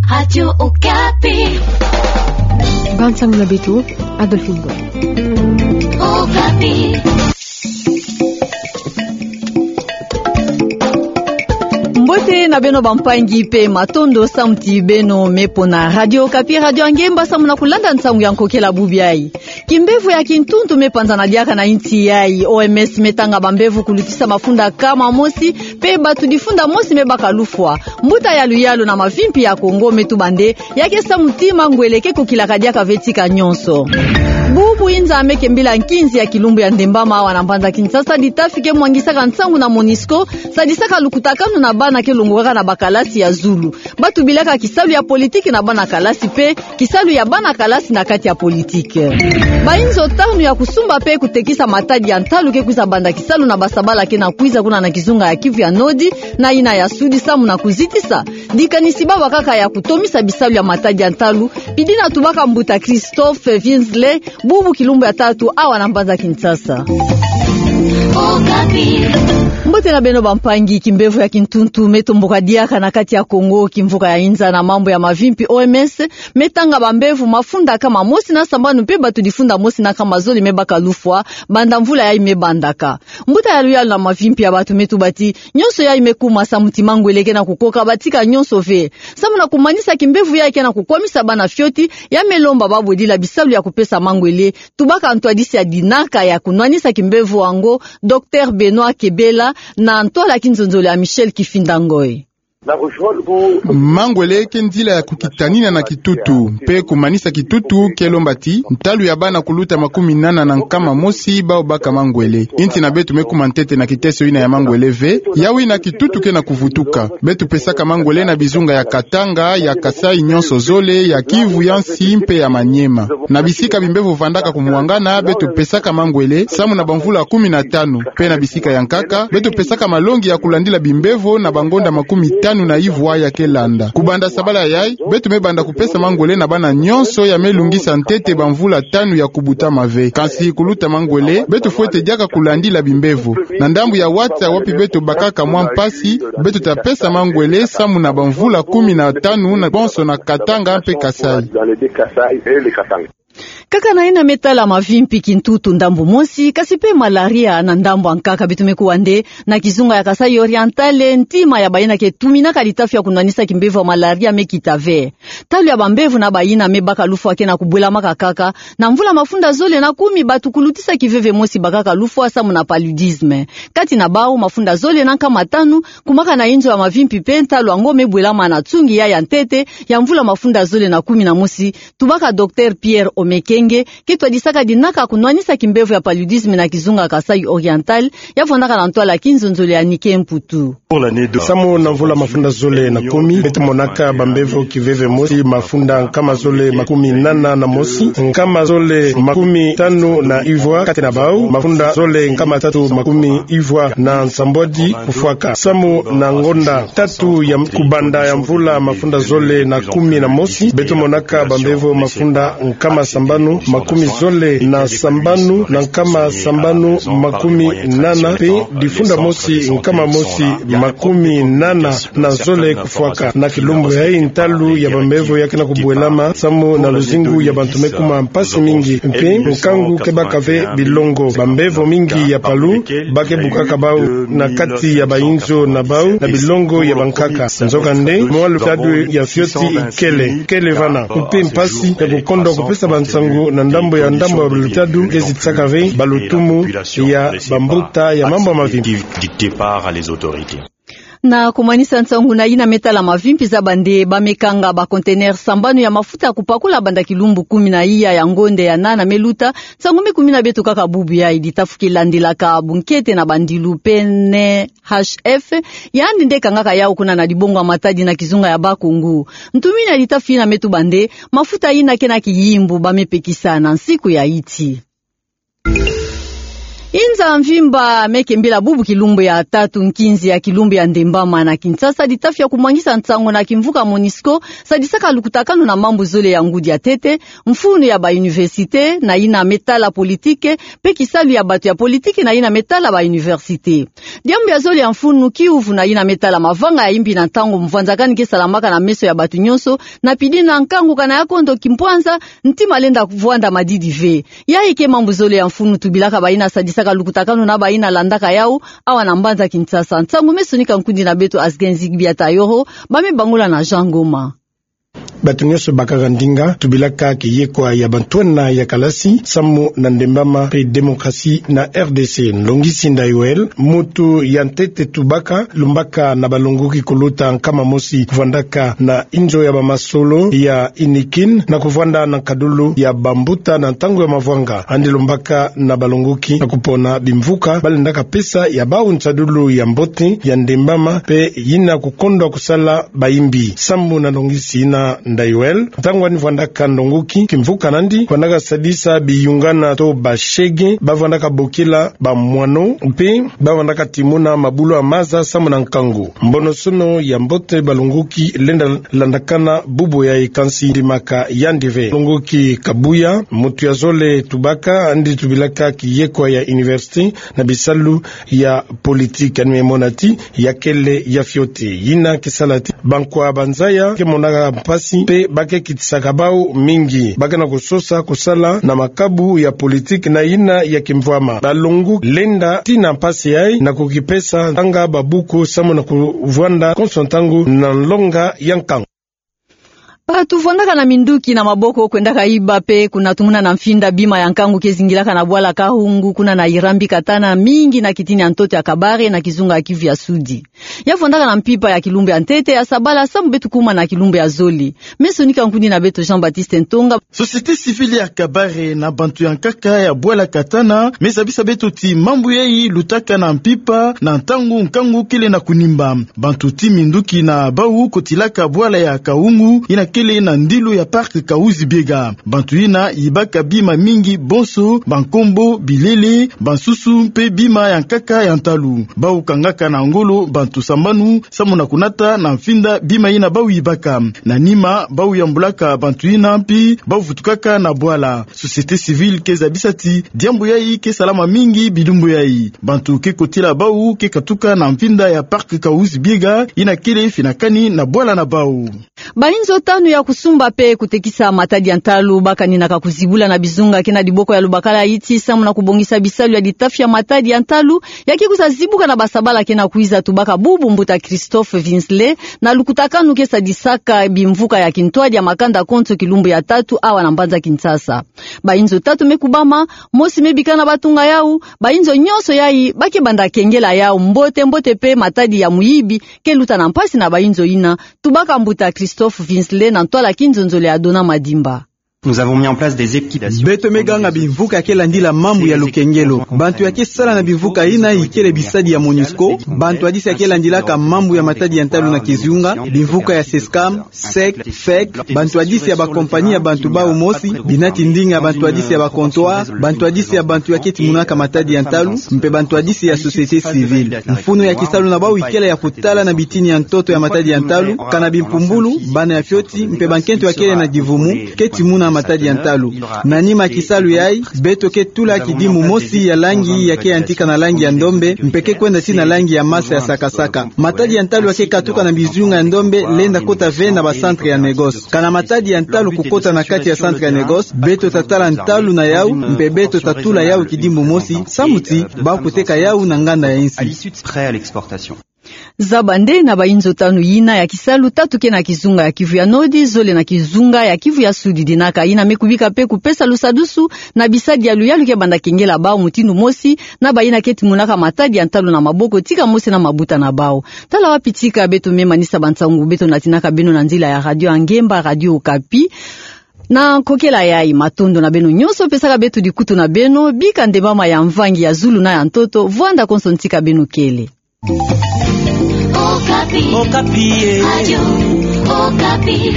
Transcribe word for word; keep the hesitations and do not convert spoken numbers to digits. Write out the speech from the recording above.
Radio Okapi. Bande sango na beto, Adolphine Ngoy. Okapi. Mbote na beno bampangi mpe matondo samu ti beno me pona Radio Okapi, radio ya ngemba samu na kulanda nsangu ya nkokela bubu yayi. Kimbevo ya kintuntu me panzana diaka na insi yayi. O M S me tanga bambevo kulutisa mafunda kama mosi, mpe bato difunda mosi me baka lufwa. Mbuta ya luyalu na mavimpi ya Kongo me tuba nde, ya ke samu ti mangwele ke kokilaka diaka ve tika nyonso. Bubu inza me ke mbila nkinzi ya kilumbu ya Ndembama awa na mbanza Kinshasa, ditafi ke mwangisaka nsangu na MONUSCO, sadisaka lukutakanu na bana ke longokaka na bakalasi ya zulu. Ba tubilaka kisalu ya politiki na bana kalasi mpe kisalu ya bana kalasi na kati ya politiki. Bainzo tanu ya kusumba mpe kutekisa matadi ya ntalu ke kwiza banda kisalu na basabala ke na kwiza kuna na kizunga ya Kivu ya Nord na yina ya Sud samu na kuzitisa dikanisi baba kaka ya kutomisa bisalu ya matadi ya ntalu, pidi na tubaka mbuta Christophe Winsley, bubu kilumbu ya tatu awa na mbanza Kinshasa. Mbote na beno bampangi, kimbevo ya kintuntu me tomboka diaka na kati ya Kongo, kimvuka ya inza na mambu ya mavimpi O M S me tanga bambevo mafunda kama mosi na sambanu mpe bato difunda mosi na kama zole me baka lufwa banda mvula yayi me bandaka. Mbuta ya luyalu na mavimpi ya bato me tuba ti nyonso yayi me kuma samu ti mangwele ke na kukoka batika nyonso ve. Samu na kumanisa kimbevo yayi ke na kukwamisa bana fioti, ya me lomba babodila bisalu ya kupesa mangwele. Tubaka ntwadisi ya dinaka ya kunwanisa kimbevo yango, Docteur Benoît Kebela, na ntwala kinzonzolo ya Michel Kifinda Ngoy. Mangwele ke nzila ya kukitanina na kitutu, mpe kumanisa kitutu ke lomba ti ntalu ya bana kuluta makumi nana na nkama mosi bawu baka mangwele. Insi na beto me kuma ntete na kiteso yina ya mangwele ve, yawu yina kitutu ke na kuvutuka. Beto pesaka mangwele na bizunga ya Katanga, ya Kasaï nyonso zole, ya Kivu ya nsi mpe ya Maniema. Na bisika bimbevo vandaka kumwangana, beto pesaka mangwele samu na bamvula kumi na tanu. Mpe na bisika ya nkaka, beto pesaka malongi ya kulandila bimbevo na bangonda makumi tanu na ivwa ya ke landa. Kubanda sabala yayi, beto me banda kupesa mangwele na bana nyonso ya me lungisa ntete bamvula tanu ya kubutama ve. Kansi kuluta mangwele, beto fwete diaka kulandila bimbevo. Na ndambu ya wata wapi beto bakaka mwa mpasi, beto ta pesa mangwele samu na bamvula kumi na tanu na bonso na Katanga mpe Kasaï. Kaka na yina me tala mavimpi kintutu ndambu mosi, kasi mpe malaria na ndambu ya nkaka. Beto me kuwa nde na kizunga ya Kasaï Oriental, ntima ya bayina ke tuminaka litafi ya kunwanisa kimbevo ya malaria me kita ve. Ntalu ya bambevo na bayina me baka lufwa ke na kubwelamaka kaka na mvula mafunda zole na kumi. Bato kulutisa kiveve mosi bakaka lufwa samu na paludisme. Kati na bawu, mafunda zole na nkama tanu kumaka na inzo ya mavimpi mpe ntalu yango me bwelama na nsungi ya ya ntete ya mvula mafunda zole na kumi na mosi, tubaka Docteur Pierre Omekenge, ke twadisaka dinaka kunwanisa kimbevo ya paludisme na kizunga Kasaï Oriental, ya vandaka na ntwala kinzonzolo ya Nike Mputu. Samu na mvula mafunda zole na kumi, beto monaka bambevo kiveve mosi mafunda nkama zole makumi nana na mosi, nkama zole makumi tanu na ivwa, kati na bawu mafunda zole nkama tatu makumi ivwa na nsambwadi kufwaka. Samu na ngonda tatu ya kubanda ya mvula mafunda zole na kumi na mosi, beto monaka bambevo mafunda nkama sambanu makumi zole na sambanu na nkama sambanu makumi nana, mpe difunda mosi nkama mosi makumi nana na zole kufwaka. Na kilumbu yayi, ntalu ya bambevo ya ke na kubwelama samu na luzingu ya bantu me kuma mpasi mingi, mpe nkangu ke baka ve bilongo. Bambevo mingi ya palu ba ke bukaka bawu na kati ya bainzo na bawu na bilongo ya bankaka. Nzokande, mwa lutadu ya fioti ikele, kele vana. Mpe mpasi ya kukondwa kupesa bansangu na ndambu ya ndambu ya lutadu ke zitisaka ve balutumu ya bambuta ya mambu ya mavimpi. Dictée par les autorités. Na kumanisa nsangu na yina me tala mavimpi, zaba nde ba me kanga ba conteneurs sambanu ya mafuta ya kupakula banda kilumbu kumi na iya ya ngonde ya nana me luta. Nsangu me kumina beto kaka bubu yayi. Litafi ke landilaka bunkete na bandilu P N H F, yandi nde kangaka yawu kuna na dibongo ya matadi na kizunga ya Bas-Congo. Ntumini ya litafi yina me tuba nde mafuta yina ke na kiyimbu ba me pekisa na nsiku ya iti. Inza mvimba me kembila bubu kilumbu ya tatu nkinzi ya kilumbu ya Ndembama na Kinshasa, litafi ya kumwangisa nsangu na kimvuka MONUSCO sadisaka lukutakanu na mambu zole ya ngudi ya ntete, mfunu ya ba université na yina me tala politique, mpe kisalu ya bato ya politique na yina me tala ba université. Diambu ya zole ya mfunu, kiuvu na yina me tala mavanga ya imbi na ntangu mvwanzakani ke salamaka na meso ya bato nyonso, na pidi na nkangu kana ya kondo kimpwanza, ntima lenda vwanda madidi ve. Yayi ke mambu zole ya mfunu tubilaka bayina sadisaka lukutakanu na bayina landaka yawu, awa na mbanza Kinshasa. Nsangu me sonika nkundi na beto Asgenzi Biata Yoro, ba me bangula na Jean Ngoma. Bato nyonso bakaka ndinga, tubilaka kiyekwa ya bantwenya ya kalasi, samu na Ndembama mpe démocratie na R D C. Nlongisi Ndai Well, mutu ya ntete tubaka, lumbaka na balongoki kuluta nkama mosi, vwandaka na inzo ya bamasolo ya Inikin, na kuvwanda na nkadulu ya bambuta na ntangu ya mavwanga, yandi lumbaka na balongoki na kupona bimvuka balendaka pesa ya bawu nsadulu ya mbote ya Ndembama, mpe yina kukondwa kusala bayimbi. Samu na nlongisi yina Ndai Well, ntangu yandi vwandaka nlongoki, kimvuka nandi vwandaka sadisa biyungana to bashege, bavwandaka bokila bamwano, mpe bavwandaka timuna mabulu ya maza samu na nkangu. Mbonosono ya mbote balongoki lenda landakana bubu yayi, kansi ndimaka yandi ve. Nlongoki Kabuya, mutu ya zole tubaka, yandi tubilaka kiyekwa ya université na bisalu ya politique, yandi me mona ti ya kele ya fioti. Yina ke sala ti bankwa banzaya ke monaka mpasi mpe ba ke kitisaka bawu mingi. Ba ke na kusosa kusala na makabu ya politique na yina ya kimvwama. Balongoki lenda tina mpasi yayi na kukipesa tanga babuku samu na kuvwanda konso ntangu na nlonga ya nkangu. Bato vwandaka na minduki na maboko kwendaka yiba mpe kunatumuna na mfinda bima ya nkangu ke zingilaka na bwala Kahungu, kuna na Irambi Katana, mingi na kitini ya ntoto ya Kabare na kizunga ya Kivu ya Sudi. Ya vwandaka na mpimpa ya kilumbu ya ntete ya sabala, samu beto kuma na kilumbu ya zole. Me sonika nkundi na beto Jean-Baptiste Ntonga. Société civile ya Kabare na bantu ya nkaka ya bwala Katana me zabisa beto ti mambu yayi lutaka na mpimpa na ntangu nkangu kele na kunimba. Bantu ti minduki na bawu kotilaka bwala ya Kahungu, yina kele na ndilu ya parc Kahuzi-Biega. Bantu yina yibaka bima mingi, bonso bankombo, bilele, bansusu mpe bima ya nkaka ya ntalu. Bawu kangaka na ngolo bantu sambanu samu na kunata na mfinda bima yina bawu yibaka. Na nima, bawu yambulaka bantu yina mpi bawu vutukaka na bwala. Société civile ke zabisa ti diambu yayi ke salama mingi bilumbu yayi. Bantu ke kotila bawu ke katuka na mfinda ya parc Kahuzi-Biega, yina kele finakani na bwala na bawu. Bayinzo tanu ya kusumba mpe kutekisa matadi ya ntalu bakaninaka kuzibula na bizunga ke na diboko ya Lubakala Iti samu na kubongisa bisalu ya litafi ya matadi ya ntalu, ya ke kwiza zibuka na basabala ke na kwiza, tubaka bubu mbuta Christophe Vinsley, na lukutakanu ke sadisaka bimvuka ya kintwadi ya makanda konso kilumbu ya tatu awa na mbanza Kinshasa. Bayinzo tatu me kubama, mosi me bika na batunga yawu, bayinzo nyonso yayi ba ke banda kengela yawu mbote mbote mpe matadi ya muyibi ke luta na mpasi na bayinzo yina, tubaka mbuta Christophe Vinsley na ntwala kinzonzolo ya Dona Madimba. Nous avons mis en place des équipes. Beto me ganga bimvuka ya ke landila mambu ya lukengelo. Bantu ya ke sala na bimvuka yina ikele bisadi ya MONUSCO, bantwadisi ya ke landilaka mambu ya matadi ya ntalu na kizunga, bimvuka ya SESCAM, sec, fec, bantwadisi ya bakompani ya bantu bawu mosi, binati ndinga ya bantwadisi ya ba comptoir, bantwadisi ya bantu ya ke timunaka matadi ya ntalu, mpe bantwadisi ya société civile. Mfunu ya kisalu na bawu ikele ya kutala na bitini ya ntoto ya matadi ya ntalu, kana bimpumbulu, bana ya fioti, mpe bankento ya kele na divumu ke timuna matadi ya ntalu. Na nima kisalu yayi, beto ke tula kidimbu mosi ya langi ya ke yantika na langi ya ndombe, mpe ke kwenda tii na langi ya masa ya sakasaka. Matadi ya ntalu ya ke katuka na bizunga ya ndombe lenda kota ve na ba centre ya négoce. Kana matadi ya ntalu kukota na kati ya centre ya négoce, beto ta tala ntalu na yawu, mpe beto ta tula yawu kidimbu mosi, samu ti bawu kuteka yawu na nganda ya insi. Zaba nde na bayinzo tanu yina ya kisalu, tatu ke na kizunga ya Kivu ya Nord, zole na kizunga ya Kivu ya Sud. Dinaka yina me kubika mpe kupesa lusadusu na bisadi ya luyalu ke banda kengela bawu mutindu mosi na bayina ke timunaka matadi ya ntalu na maboko, tika mosi na mabuta na bawu. Tala wapi tika beto me manisa bansangu beto natinaka beno na nzila ya radio ya ngemba, Radio Okapi. Na kokela yayi, matondo na beno nyonso pesaka beto dikutu na beno, bika Ndembama ya mvangi ya zulu na ya ntoto vwanda konso ntika beno kele. Okapi. Okapi, eh. Radio Okapi.